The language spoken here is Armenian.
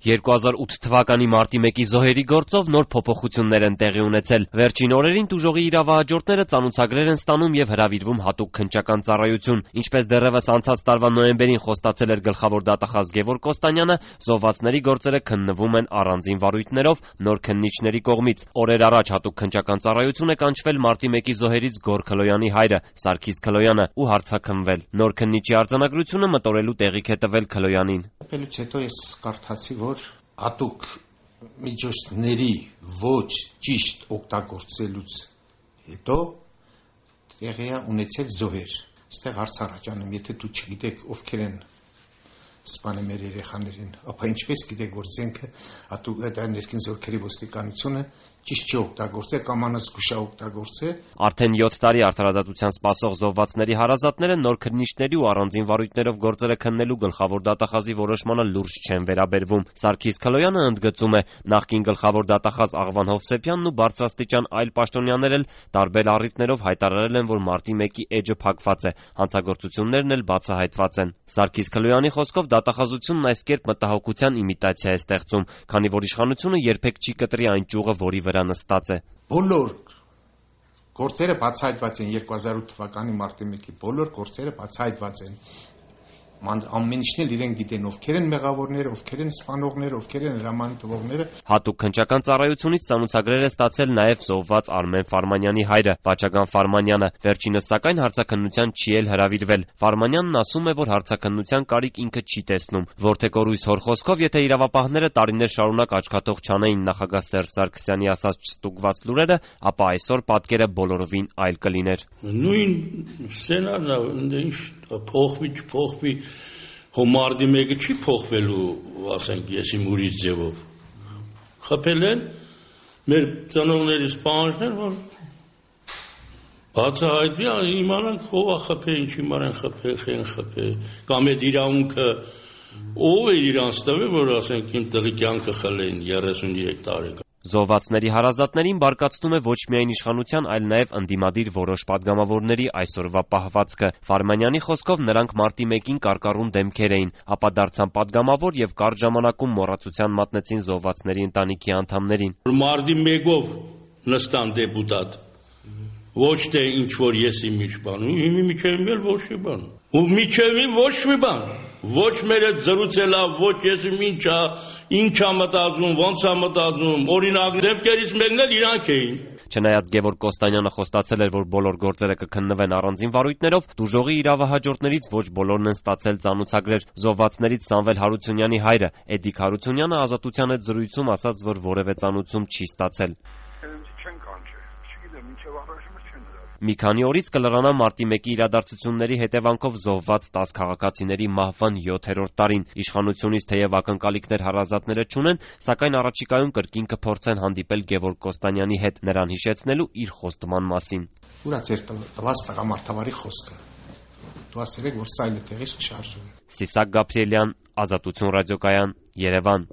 2008 թվականի մարտի 1-ի զոհերի գործով նոր փոփոխություններ են տեղի ունեցել։ Վերջին օրերին տուժողի իրավահաջորդները ծանուցագրեր են ստանում եւ հրավիրվում հատուկ քննչական ծառայություն։ Ինչպես դեռևս անցած տարվա նոյեմբերին խոստացել էր գլխավոր դատախազ Գևորգ Կոստանյանը, զոհվածների գործերը քննվում են առանձին վարույթներով նոր քննիչների կողմից։ Օրեր առաջ հատուկ քննչական ծառայություն է կանչվել մարտի 1-ի զոհերից Գոր Քլոյանի հայրը Սարգիս Քլոյանը ու հարցաքննվել։ Նոր քննիչի արձանագրությունը մտորելու տեղիք է տվել Քլոյանին։ Ապելուց հետո ես կարդացի, որ հատուկ միջոցների ոչ ճիշտ օգտագործելուց հետո տեղի է ունեցել զոհեր։ Այստեղ հարց առաջանում, եթե դու չգիտեք ովքեր են սպանել մեր երեխաներին, ապա ինչպես գիտեք, որ զենքը հատուկ ներքին զորքերի ոստիկանությունը ճիշտ չի օգտագործել կամ անզգուշ օգտագործել։ Արդեն 7 տարի արդարադատության սպասող զոհվածների հարազատները նոր քննիչների ու առանձին վարույթներով գործերը քննելու գլխավոր դատախազի որոշմանը լուրջ չեն վերաբերվում։ Սարգիս Քլոյանը ընդգծում է, նախկին գլխավոր դատախազ Աղվան Հովսեփյանն ու բարձրաստիճան այլ պաշտոնյաներ էլ տարբեր առիթներով հայտարարել են, որ մարտի 1-ի էջը փակված է, հանցագործություններն էլ բացահայտված են։ Սարգիս Քլոյանի խոսքով դատախազությունն այս կերպ մտահոգության իմիտացիա է ստեղծում, քանի որ իշխանությունը երբեք չի կտրի այն ճյուղը, որի վրա նստած է։ Բոլոր գործերը բացահայտված են 2008 թվականի մարտի 1-ի բոլոր գործերը բացահայտված են։ Ամեն ինչն էլ իրեն գիտեն, ովքեր են մեղավորները, ովքեր են սպանողները, ովքեր են հրաման տվողները։ Հատուկ քննչական ծառայությունից ծանուցագրեր է ստացել նաև զոհված Արմեն Ֆարմանյանի հայրը Վաչագան Ֆարմանյանը։ Վերջինս սակայն հարցաքննության չի էլ հրավիրվել։ Ֆարմանյանն ասում է, որ հարցաքննության կարիք ինքը չի տեսնում։ Որթեկորույս հոր խոսքով, եթե իրավապահները տարիներ շարունակ աչքաթող չանեին նախագահ Սերժ Սարգսյանի ասած չստուգված լուրերը, ապա այսօր պատկերը բոլորովին այլ կլիներ։ Նույն սցենարն է, ինչ փոխվի Հոմարդի մեկը չի փոխվելու, ասենք, ես իմ ուրիշ ձևով։ Խփել են մեր ծնողների սպանողներ, որ բացահայտվի, իմանանք ով է խփել, ինչի մարեն խփել, կամ այդ իրավունքը ով է իրանց տվել, որ ասենք իմ տղի կյանքը խլեն 33 տարեկան։ Զոհվածների հարազատներին բարկացնում է ոչ միայն իշխանության, այլ նաև ընդդիմադիր որոշ падգամավորների այսօրվա պահվածքը։ Ֆարմանյանի խոսքով նրանք մարտի 1-ին կարկառուն դեմքեր էին, ապա դարձան падգամավոր եւ կարճ ժամանակում մոռացության մատնեցին զոհվածների ընտանիքի անդամներին։ Մարտի 1-ով նստան դեպուտատ, ոչ թե ինչ որ ես իմ իշխանում, իմի միջևին էլ ոչ մի բան։ Ու միջևին ոչ մի բան։ Ոչ մեր այդ զրուցելա, ոչ ես ինչա մտածում, ոնց է մտածում, օրինակ դեպքերից մեկն էլ իրանք էին։ Չնայած Գևորգ Կոստանյանը խոստացել էր, որ բոլոր գործերը կքննվեն առանձին վարույթներով, տուժողի իրավահաջորդներից ոչ բոլորն են ստացել ծանուցագրեր։ Զոհվածներից Սամվել Հարությունյանի հայրը Էդիկ Հարությունյանը Ազատության հետ զրույցում ասաց, որ որևէ ծանուցում չի ստացել։ Մի քանի օրից կլրանա մարտի 1-ի իրադարձությունների հետևանքով զոհված 10 քաղաքացիների մահվան 7-րդ տարին։ Իշխանությունից թեև ակնկալիքներ հարազատները չունեն, սակայն առաջիկայում կրկին կփորձեն հանդիպել Գևորգ Կոստանյանի հետ, նրան հիշեցնելու իր խոստման մասին։ Ուրա ձեր տված տղամարդավարի խոսքը։ Դու ասել եք, որ սայլը տեղից կշարժվի։ Սիսակ Գաբրիելյան, Ազատություն ռադիոկայան, Երևան։